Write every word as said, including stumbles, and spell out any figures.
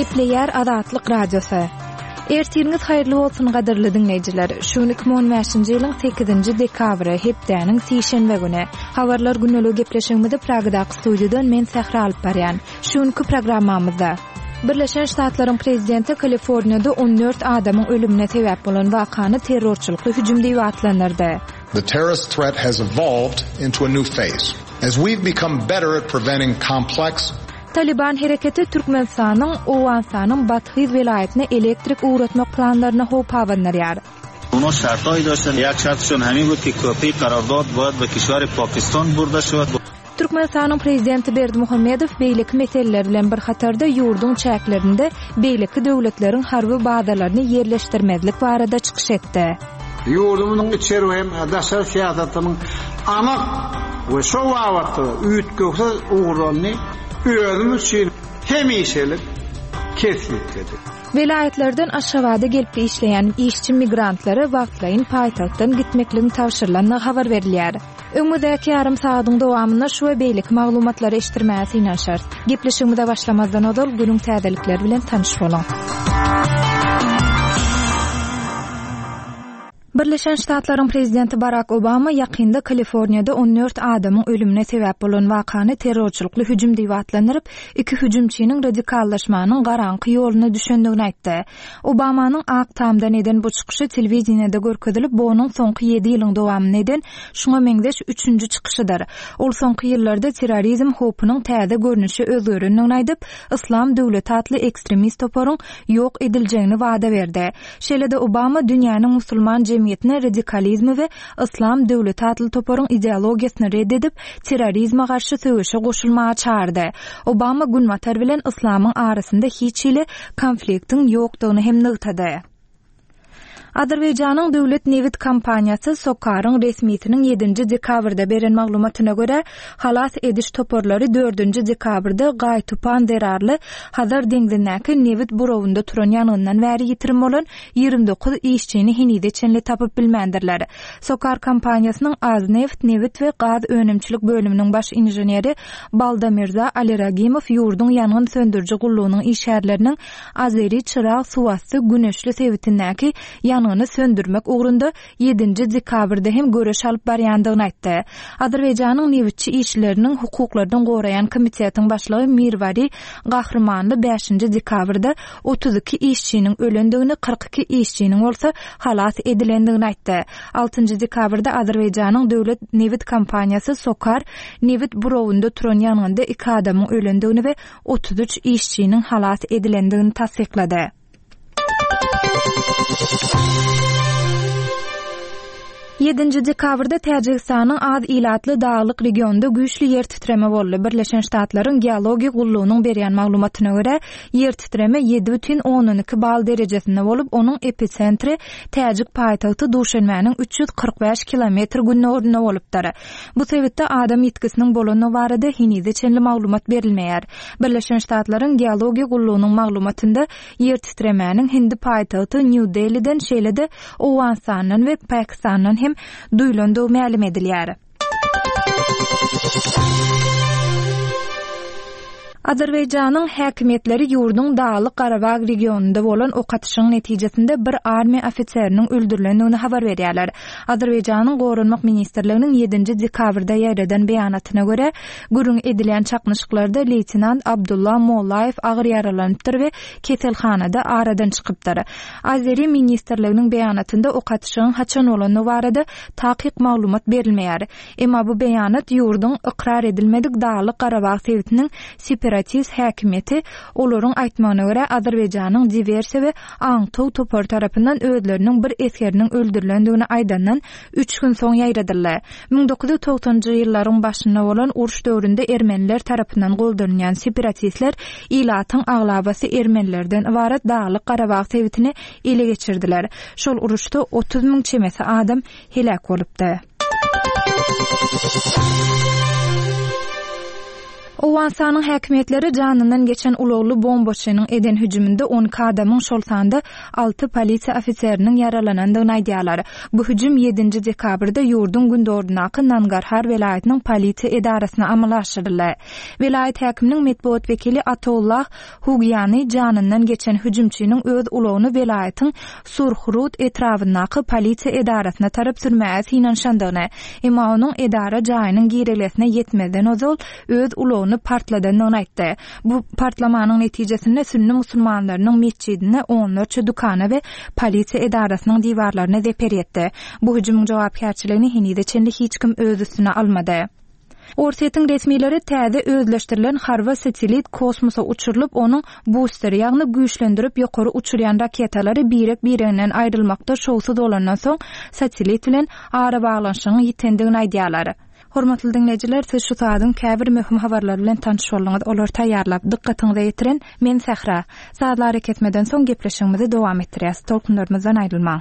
Gepleýär Azatlyk Radiosy. Ertiriňiz haýyrly bolsun gadyrly diňleýjiler. Şu gün iki müň on bäşinji ýylyň sekizinji dekabry, hepdäniň sişenbe güni. Habarlar günlügi gepleşigimizi Pragadaky studiýadan men Sähra alyp barýan. Şu günki programmamyzda Birleşen Ştatlaryň prezidenti Kaliforniýada on dört adamyň ölümine sebäp bolan wakany terrorçylykly hüjüm diýip atlandyrdy. The terrorist threat has evolved into a new phase. As we've become better at preventing complex Taliban hereketi Türkmenistanyň Owganystanyň Bathyz welaýatyna elektrik ugratmak planlaryna howp abandyrýar. Onuň şartlaýy daşan, ýa şartşon hemi bu ki köpi qarardad boýad we kişwari Pakistan burda şuwat. Türkmenistanyň prezidenti Berdimuhamedow beýleki meseleler bilen bir hatarda ýurduň çäklerinde beýleki döwletleriň harby bazalaryny ýerleşdirmezlik barada çykyş etdi. Ýurdumyzyň içeri we daşary syýasatynyň anyk we şo babatda üýtgewsiz ugurlaryny özüm üçin hemişelik kesgitledik. Welaýatlardan Aşgabada gelip işleýän işçi migrantlara wagtlaýyn paýtagtdan gitmekligiň tabşyrylandygy habar berilýär. Öňümizdäki ýarym sagatyň dowamynda şu we beýleki maglumatlary eşitdirmäge synanyşarys. Gepleşigimize başlamazdan ozal günüň täzelikleri bilen tanyş boluň. Birleşen Ştatlaryň prezidenti Barack Obama ýakynda Kaliforniýada on dört adamyň ölümine sebäp bolan wakany terrorçylykly hüjüm diýip atlandyryp, iki hüjümçiniň radikallaşmanyň garaňky ýoluna düşendigini aýtdy. Obamanyň Ak Tamdan eden bu çykyşy telewideniýede görkezilip, bu onuň soňky ýedi ýylyň dowamynda eden şuňa meňzeş üçünji çykyşydyr. Ol soňky ýyllarda terrorizm howpunyň täze görnüşi özgerendigini aýdyp, Islam döwleti atly ekstremist toparyň ýok ediljegini wada berdi. Şeýle-de Obama dünýäniň musulman jemgyýetine radikalizmi we Islam döwleti atly toparyň ideologiýasyny red edip, terrorizme garşy söweşe goşulmaga çağırdy. Obama Günbatar bilen Islamyň arasynda hiç hili konfliktiň ýokdugyny hem nygtady. Azerbaýjanyň döwlet nebit kompaniýasy Sokaryň resmisiniň ýedinji dekabrda beren maglumatyna görä, halas ediş toparlary dördünji dekabrda Gaýtupan zerarly Hazar deňzindäki nebit burawynda turan ýangyndan bäri ýitirim bolan ýigrimi dokuz işçini henize çenli tapyp bilmändirler. Sokar kompaniýasynyň Azneft nebit we gaz önümçilik bölüminiň baş inženeri Balda Mirza Aliragimow ýurduň ýangyn söndüriji gullugynyň işgärleriniň Azeri Çyrag suwasty güneşli sebitindäki ýangyny söndürmek ugrunda ýedinji dekabrda hem göreş alyp barýandygyny aýtdy. Azerbaýjanyň nebitçi işçileriniň hukuklaryny goraýan komitetiň başlygy Mirwari Gahrymanly bäşinji dekabrda otuz iki işçiniň ölendigini, kyrk iki işçiniň bolsa halas edilendigini aýtdy. Altynjy dekabrda Azerbaýjanyň döwlet nebit kompaniýasy Sokar nebit burawynda turan ýangynda iki adamyň ölendigini we otuz üç işçiniň halas edilendigini tassyklady. Ýedinji dekabrda Täjigistanyň az ilatly daglyk regionda güýçli ýer titreme boldy. Birleşen Ştatlaryň geologiýa gullugynyň berýän maglumatyna görä, ýer titreme ýedi bütin ondan iki bal derejesinde bolup, onuň episentri Täjik paýtagty Duşenbäniň üç ýüz kyrk bäş kilometr gündogarynda bolupdyr. Bu sebitde adam ýitgisiniň bolandygy barada henize çenli maglumat berilmeýär. Birleşen Ştatlaryň geologiýa gullugynyň maglumatynda ýer titremäniň Hindi paýtagty New Delhi'den şeýle-de Owganystandan we Pakistandan hem duýulandygy mälim edilýär. Azerbaýjanyň häkimiýetleri ýurduň Daglyk Garabag regionynda bolan ok atyşyň netijesinde bir armiýa ofiseriniň öldürilendigini habar berýärler. Azerbaýjanyň Goranmak ministrliginiň ýedinji dekabrda ýaýradan beýanatyna görä, gürrüň edilýän çaknyşyklarda leýtenant Abdulla Mollaýew agyr ýaralanypdyr we keselhanada aradan çykypdyr. Azeri ministrliginiň beýanatynda ok atyşygyň haçan bolandygy barada takyk maglumat berilmeýär. Emma bu beýanat ýurduň ykrar edilmedik Daglyk Garabag sebitiniň separatist häkimiýeti olaryň aýtmagyna görä Azerbaýjanyň diwersiýa we aňtaw topary tarapyndan özleriniň bir esgeriniň öldürilendigini aýdandan üç gün soň ýaýradyldy. Müň dokuz ýüz togsanjy ýyllaryň başynda bolan uruş döwründe ermeniler tarapyndan goldanýan separatistler ilatyň aglabasy ermenilerden ybarat Daglyk Garabag sebitini ele geçirdiler. Şol uruşda otuz müň çemesi adam heläk bolupdy. Owganystanyň häkimiýetleri janyndan geçen ulagly bombaçynyň eden hüjüminde on iki adamyň, şol sanda alty polisiýa ofiseriniň ýaralanandygyny aýdýarlar. Bu hüjüm ýedinji dekabrda ýurduň gündogaryndaky Nangarhar welaýatynyň polisiýa edarasyna amala aşyryldy. Welaýat häkiminiň metbugat wekili Ataullah Hugýany janyndan geçen hüjümçiniň öz ulagyny welaýatyň Surhrud etrabyndaky polisiýa edarasyna tarap sürmäge synanyşandygyny, emma onuň edara jaýynyň girelgesine ýetmezden ozal öz ulagyny partladandygyny aýtdy. Bu partlamanyň netijesinde sünni musulmanlarynyň metjidine, onlarça dükana we polisiýa edarasynyň diwarlaryna zeper ýetdi. Bu hüjümiň jogapkärçiligini henize çenli hiç kim öz üstüne almady. Orsýetiň resmileri täze özleşdirilen harby satellit kosmosa uçurylyp, onuň busteri, ýagny güýçlendirip ýokary uçurýan raketalary birek-bireginden aýrylmakda şowsuz bolandan soň satellit bilen arabaglanyşygyň ýitendigini aýdýarlar. Hormatly diňleýjiler, siz şu saadyň käbir möhüm habarlary bilen tanyş bolduňyz. Olary taýýarlap, dykgatyňyza ýetiren men Sähra. Sazly arakesmeden soň gepleşigimizi dowam etdirýäs. Tolkunlarymyzdan aýrylmaň.